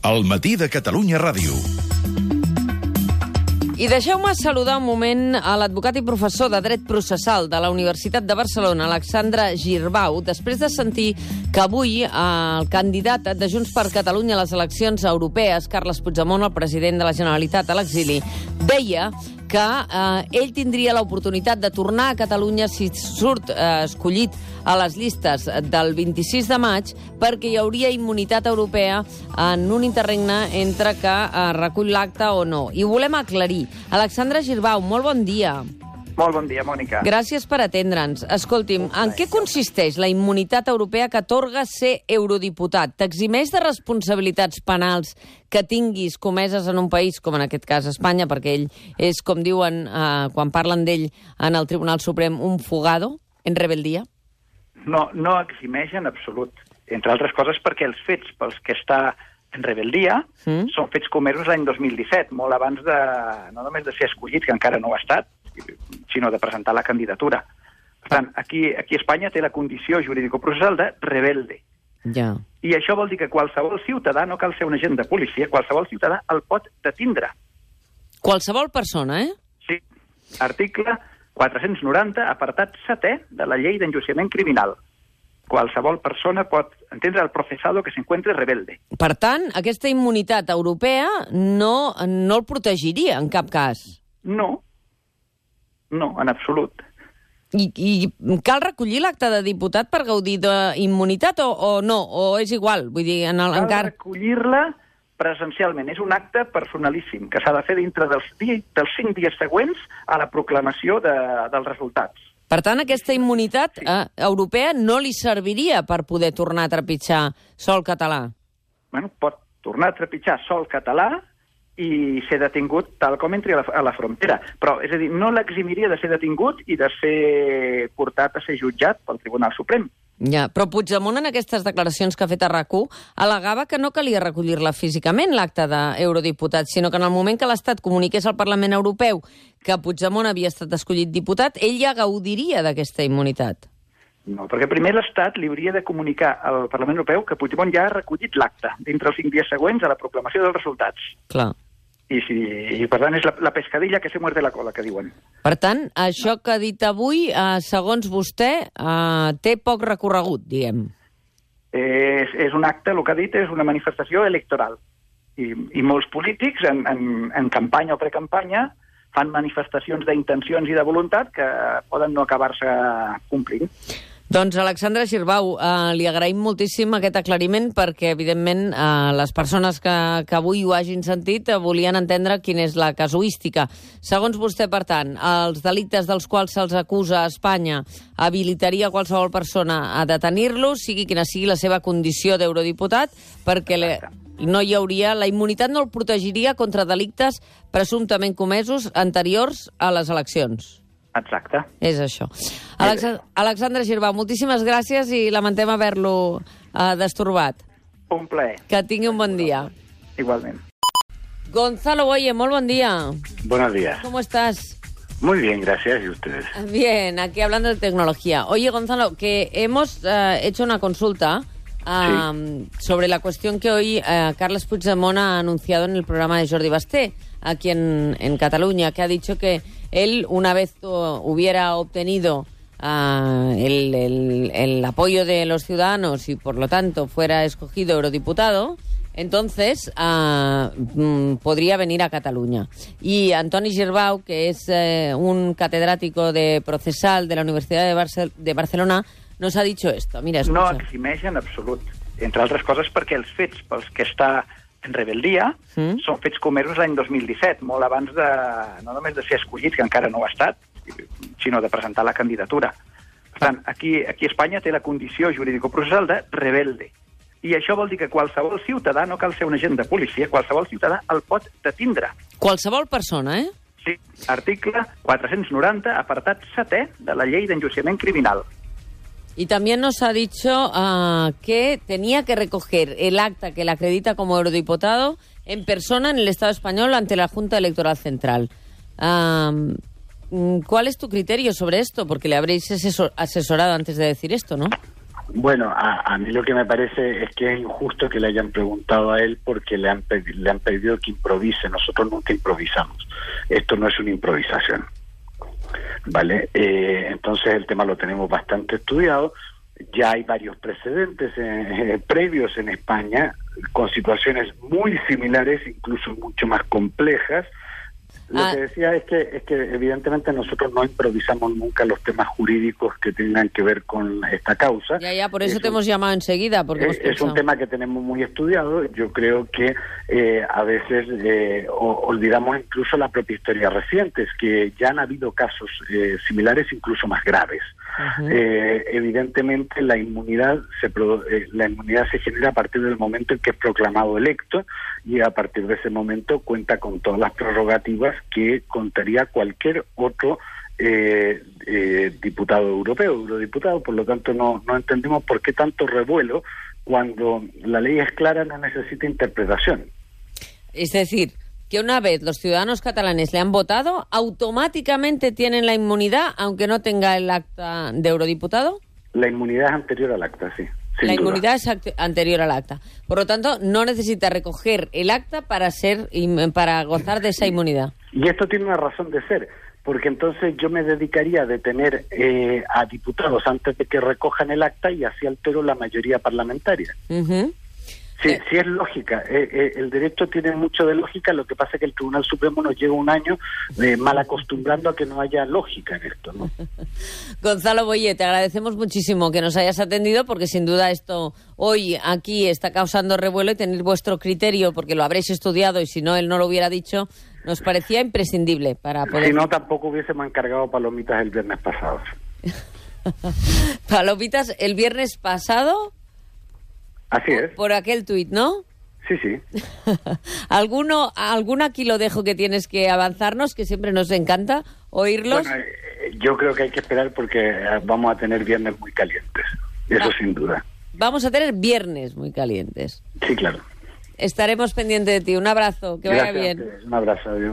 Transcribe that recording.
El matí de Catalunya Ràdio. I deixeu-me saludar un moment a l'advocat i professor de Dret Processal de la Universitat de Barcelona, Alexandre Girbau, després de sentir que avui el candidat de Junts per Catalunya a les eleccions europees, Carles Puigdemont, el president de la Generalitat a l'exili, deia que ell tindria l'oportunitat de tornar a Catalunya si surt escollit a les llistes del 26 de maig perquè hi hauria immunitat europea en un interregne entre que recull l'acte o no. I ho volem aclarir. Alexandre Girbau, molt bon dia. Molt bon dia, Mònica. Gràcies per atendre'ns. Escolti'm, en què consisteix la immunitat europea que atorga ser eurodiputat? T'eximeix de responsabilitats penals que tinguis comeses en un país, com en aquest cas Espanya, perquè ell és, com diuen quan parlen d'ell en el Tribunal Suprem, un fugado en rebeldia? No eximeix en absolut. Entre altres coses perquè els fets pels que està en rebeldia són fets comesos l'any 2017, molt abans de, no només de ser escollit, que encara no ho ha estat, sinó de presentar la candidatura. Per tant, aquí a Espanya té la condició jurídico-processal de rebelde. Ja. I això vol dir que qualsevol ciutadà, no cal ser un agent de policia, qualsevol ciutadà el pot detindre. Qualsevol persona, eh? Sí. Article 490, apartat 7è de la llei d'enjudiciament criminal. Qualsevol persona pot entendre el procesado que s'encuentre rebelde. Per tant, aquesta immunitat europea no el protegiria en cap cas. No, en absolut. I cal recollir l'acte de diputat per gaudir d'immunitat o no? O és igual? Vull dir, cal recollir-la presencialment. És un acte personalíssim que s'ha de fer dintre dels 5 dies següents a la proclamació dels resultats. Per tant, aquesta immunitat europea no li serviria per poder tornar a trepitjar sòl català? Bueno, pot tornar a trepitjar sòl català i ser detingut tal com entri a la frontera. Però, és a dir, no l'eximiria de ser detingut i de ser portat a ser jutjat pel Tribunal Suprem. Ja, però Puigdemont en aquestes declaracions que ha fet a RAC1 al·legava que no calia recollir-la físicament, l'acte d'eurodiputat, sinó que en el moment que l'Estat comuniqués al Parlament Europeu que Puigdemont havia estat escollit diputat, ell ja gaudiria d'aquesta immunitat. No, perquè primer l'Estat li hauria de comunicar al Parlament Europeu que Puigdemont ja ha recollit l'acte dintre els 5 dies següents a la proclamació dels resultats. Clar. I per tant, és la pescadilla que se muerde la cola, que diuen. Per tant, això que ha dit avui, segons vostè, té poc recorregut, diguem. És un acte, el que ha dit, és una manifestació electoral. I molts polítics, en campanya o precampanya, fan manifestacions d'intencions i de voluntat que poden no acabar-se complint. Doncs, Alexandre Girbau, li agraïm moltíssim aquest aclariment perquè, evidentment, les persones que avui ho hagin sentit volien entendre quina és la casuística. Segons vostè, per tant, els delictes dels quals se'ls acusa a Espanya habilitaria qualsevol persona a detenir-los, sigui quina sigui la seva condició d'eurodiputat, perquè no hi hauria, la immunitat no el protegiria contra delictes presumptament comesos anteriors a les eleccions. Exacte. És això. Alexandre Girbau, moltíssimes gràcies i lamentem haver-lo destorbat. Un plaer. Que tingui un bon dia. Igualment. Gonzalo Boye, molt bon día. Buenos días. ¿Cómo estás? Muy bien, gracias. ¿Y ustedes? Bien, aquí hablando de tecnología. Oye, Gonzalo, que hemos hecho una consulta sobre la cuestión que hoy Carles Puigdemont ha anunciado en el programa de Jordi Basté, aquí en Cataluña, que ha dicho que él, una vez hubiera obtenido el apoyo de los ciudadanos y, por lo tanto, fuera escogido eurodiputado, entonces podría venir a Cataluña. Y Antoni Girbau, que es un catedrático de procesal de la Universidad de Barcelona, nos ha dicho esto. Mira, escucha. No eximeix en absolut. Entre altres coses perquè els fets pels que està en rebeldia són fets comesos l'any 2017, molt abans de, no només de ser escollit, que encara no ho ha estat, sinó de presentar la candidatura. Per tant, aquí a Espanya té la condició jurídico-processal de rebelde. I això vol dir que qualsevol ciutadà, no cal ser un agent de policia, qualsevol ciutadà el pot detindre. Qualsevol persona, eh? Sí. Article 490, apartat 7è de la llei d'enjudiciament criminal. Y también nos ha dicho que tenía que recoger el acta que le acredita como eurodiputado en persona en el Estado español ante la Junta Electoral Central. ¿Cuál es tu criterio sobre esto? Porque le habréis asesorado antes de decir esto, ¿no? Bueno, a mí lo que me parece es que es injusto que le hayan preguntado a él porque le han pedido que improvise. Nosotros nunca improvisamos. Esto no es una improvisación, ¿vale? Entonces el tema lo tenemos bastante estudiado. Ya hay varios precedentes previos en España con situaciones muy similares, incluso mucho más complejas. Lo que decía es que evidentemente nosotros no improvisamos nunca los temas jurídicos que tengan que ver con esta causa. Ya, por eso te hemos llamado enseguida. Porque es un tema que tenemos muy estudiado. Yo creo que a veces olvidamos incluso la propia historia reciente, es que ya han habido casos similares, incluso más graves. Evidentemente la inmunidad se genera a partir del momento en que es proclamado electo, y a partir de ese momento cuenta con todas las prerrogativas que contaría cualquier otro diputado europeo, eurodiputado. Por lo tanto no entendemos por qué tanto revuelo cuando la ley es clara, no necesita interpretación. Es decir, que una vez los ciudadanos catalanes le han votado, automáticamente tienen la inmunidad, aunque no tenga el acta de eurodiputado. La inmunidad es anterior al acta, sí. La inmunidad es anterior al acta. Por lo tanto, no necesita recoger el acta para gozar de esa inmunidad. Y esto tiene una razón de ser, porque entonces yo me dedicaría a detener a diputados antes de que recojan el acta y así altero la mayoría parlamentaria. Sí, sí es lógica. El derecho tiene mucho de lógica. Lo que pasa es que el Tribunal Supremo nos lleva un año mal acostumbrando a que no haya lógica en esto, ¿no? Gonzalo Boye, te agradecemos muchísimo que nos hayas atendido, porque sin duda esto hoy aquí está causando revuelo, y tener vuestro criterio, porque lo habréis estudiado y si no él no lo hubiera dicho, nos parecía imprescindible para poder... Si no, tampoco hubiésemos encargado palomitas el viernes pasado. ¿Palomitas el viernes pasado? Así es. Por aquel tuit, ¿no? Sí, sí. ¿Alguno aquí lo dejo que tienes que avanzarnos, que siempre nos encanta oírlos? Bueno, yo creo que hay que esperar porque vamos a tener viernes muy calientes. Eso sin duda. Vamos a tener viernes muy calientes. Sí, claro. Estaremos pendientes de ti. Un abrazo, que vaya bien. Un abrazo, adiós.